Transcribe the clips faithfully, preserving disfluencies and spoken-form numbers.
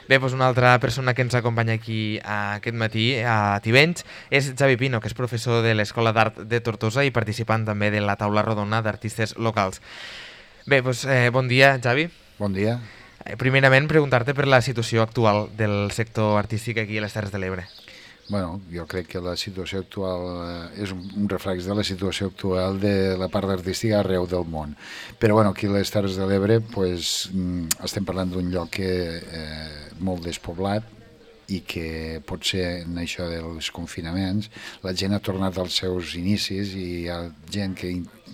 Bé, doncs una altra persona que ens acompanya aquí aquest matí a Tivenys és Xavi Pino, que és professor de l'Escola d'Art de Tortosa i participant també de la taula rodona d'artistes locals. Bé, doncs eh, bon dia, Xavi. Bon dia. Eh, primerament, preguntar-te per la situació actual del sector artístic aquí a les Terres de l'Ebre. Bueno, jo crec que la situació actual eh, és un, un reflex de la situació actual de la part artística arreu del món. Però bueno, aquí a les Terres de l'Ebre pues, estem parlant d'un lloc que eh, molt despoblat i que potser en això dels confinaments la gent ha tornat als seus inicis i hi ha gent que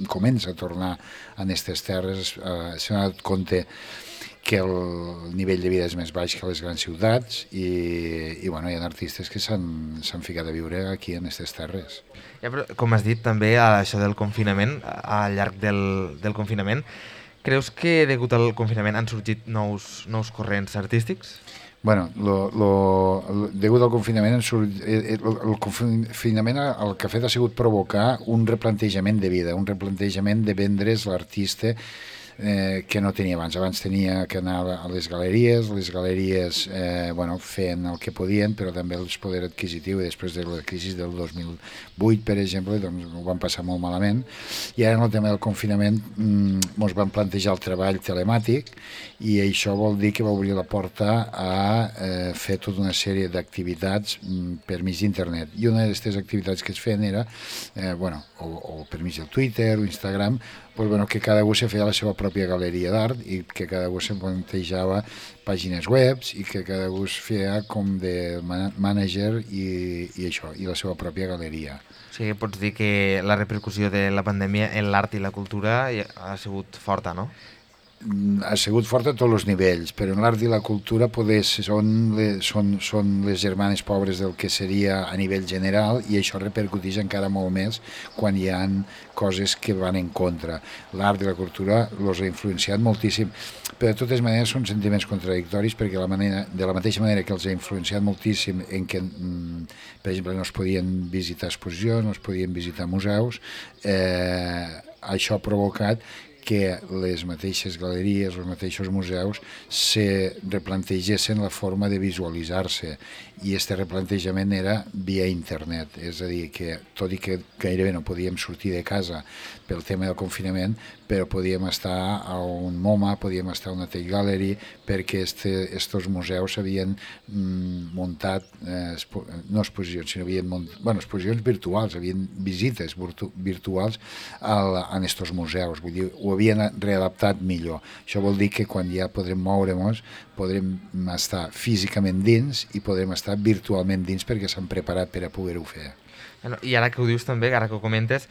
comença a tornar a aquestes terres, eh, s'ha donat compte que el nivell de vida és més baix que a les grans ciutats i, i bueno, hi ha artistes que s'han ficat a viure aquí en aquestes terres. Ja, però, com has dit també, a això del confinament, al llarg del, del confinament, creus que degut al confinament han sorgit nous, nous corrents artístics? Bueno, lo, lo, lo, degut al confinament, el, el confinament el que ha fet ha sigut provocar un replantejament de vida, un replantejament de vendre's l'artista Eh, que no tenia abans. Abans tenia que anar a les galeries, les galeries eh, bueno, feien el que podien, però també el poder adquisitiu, i després de la crisi del dos mil vuit, per exemple, doncs ho van passar molt malament, i ara en el tema del confinament ens mm, van plantejar el treball telemàtic, i això vol dir que va obrir la porta a eh, fer tota una sèrie d'activitats mm, per mig d'internet, i una d'aquestes activitats que es feien era eh, bueno, o, o per mig del Twitter o Instagram, pues bueno, que cada un se feia la seva pròpia galeria d'art i que cada un se plantejava pàgines webs i que cada un feia com de manager i, i això, i la seva pròpia galeria. O sigui, pots dir que la repercussió de la pandèmia en l'art i la cultura ha sigut forta, no? Ha sigut fort a tots els nivells, però en l'art i la cultura poder, són, les, són, són les germanes pobres del que seria a nivell general, i això repercuteix encara molt més quan hi ha coses que van en contra. L'art i la cultura els ha influenciat moltíssim, però de totes maneres són sentiments contradictoris, perquè la manera, de la mateixa manera que els ha influenciat moltíssim en què, per exemple, no es podien visitar exposicions, no es podien visitar museus, eh, això ha provocat que les mateixes galeries, els mateixos museus se replantegessin la forma de visualitzar-se, i aquest replantejament era via internet, és a dir, que tot i que gairebé no podíem sortir de casa pel tema del confinament, però podíem estar a un MoMA, podíem estar a una Tate Gallery, perquè aquests museus havien mm, muntat, eh, no exposicions, sinó havien muntat, bueno, exposicions virtuals, havien visites virtu virtuals al, en aquests museus, vull dir, ho havien readaptat millor. Això vol dir que quan ja podrem moure'ns, podrem estar físicament dins i podrem estar virtualment dins perquè s'han preparat per a poder-ho fer. I ara que ho dius també, ara que ho comentes,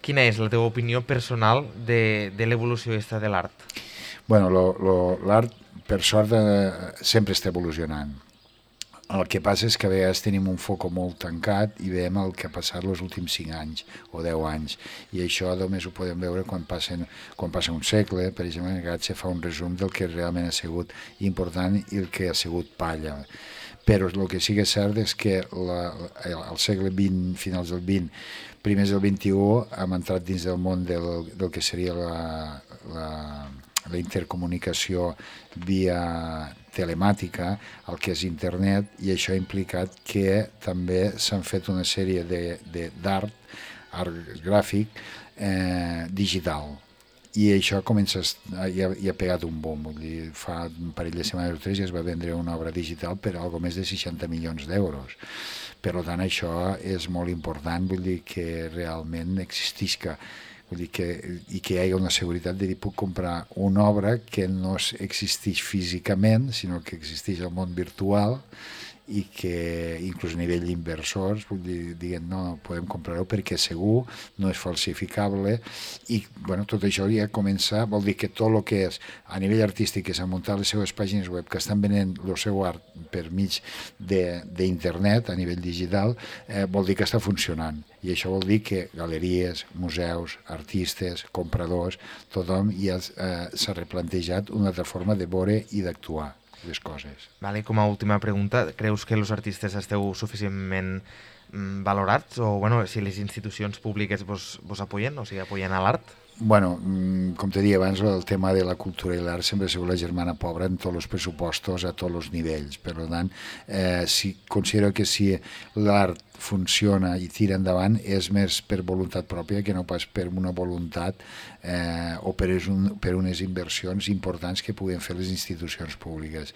quina és la teva opinió personal de, de l'evolució aquesta de l'art? Bueno, l'art, per sort, eh, sempre està evolucionant. El que passa és que a vegades tenim un foc molt tancat i veiem el que ha passat els últims cinc anys o deu anys, i això només ho podem veure quan, passen, quan passa un segle. Per exemple, en aquest se fa un resum del que realment ha sigut important i el que ha sigut palla. Però el que sí que és cert és que la, el segle vint, finals del vint, primers del vint-i-u, hem entrat dins del món del, del que seria la, la, la intercomunicació via telemàtica, el que és internet, i això ha implicat que també s'han fet una sèrie d'art, art gràfic, eh, digital. I això comença, ja, ja ha pegat un bom, vull dir, fa un parell de setmanes o tres ja es va vendre una obra digital per algo més de seixanta milions d'euros. Per tant, això és molt important, vull dir que realment existisca, vull dir que, i que hi hagi una seguretat de dir, puc comprar una obra que no existeix físicament, sinó que existeix al món virtual, i que inclús a nivell d'inversors diguen no, podem comprar-ho perquè segur, no és falsificable, i bueno, tot això ja comença, vol dir que tot el que és a nivell artístic, que s'han muntat les seves pàgines web, que estan venent el seu art per mig d'internet a nivell digital, eh, vol dir que està funcionant, i això vol dir que galeries, museus, artistes, compradors, tothom ja eh, s'ha replantejat una altra forma de veure i d'actuar les coses. Vale, com a última pregunta, creus que els artistes esteu suficientment mm, valorats? O bueno, si les institucions públiques vos, vos apoyen, o sigui, apoyen a l'art? Bueno, com te deia abans, el tema de la cultura i l'art sempre ha sigut la germana pobra en tots els pressupostos, a tots els nivells. Per tant, eh, si, considero que si l'art funciona i tira endavant és més per voluntat pròpia que no pas per una voluntat eh, o per, un, per unes inversions importants que puguen fer les institucions públiques.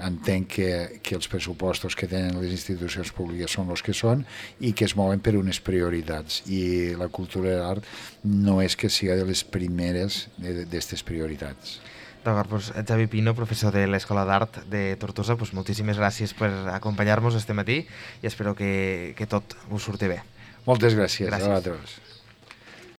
Entenc que, que els pressupostos que tenen les institucions públiques són els que són i que es mouen per unes prioritats, i la cultura i l'art no és que sigui de les primeres d'aquestes prioritats. D'acord, doncs Xavi Pino, professor de l'Escola d'Art de Tortosa, doncs moltíssimes gràcies per acompanyar-nos este matí i espero que, que tot us surti bé. Moltes gràcies, gràcies. A vosaltres.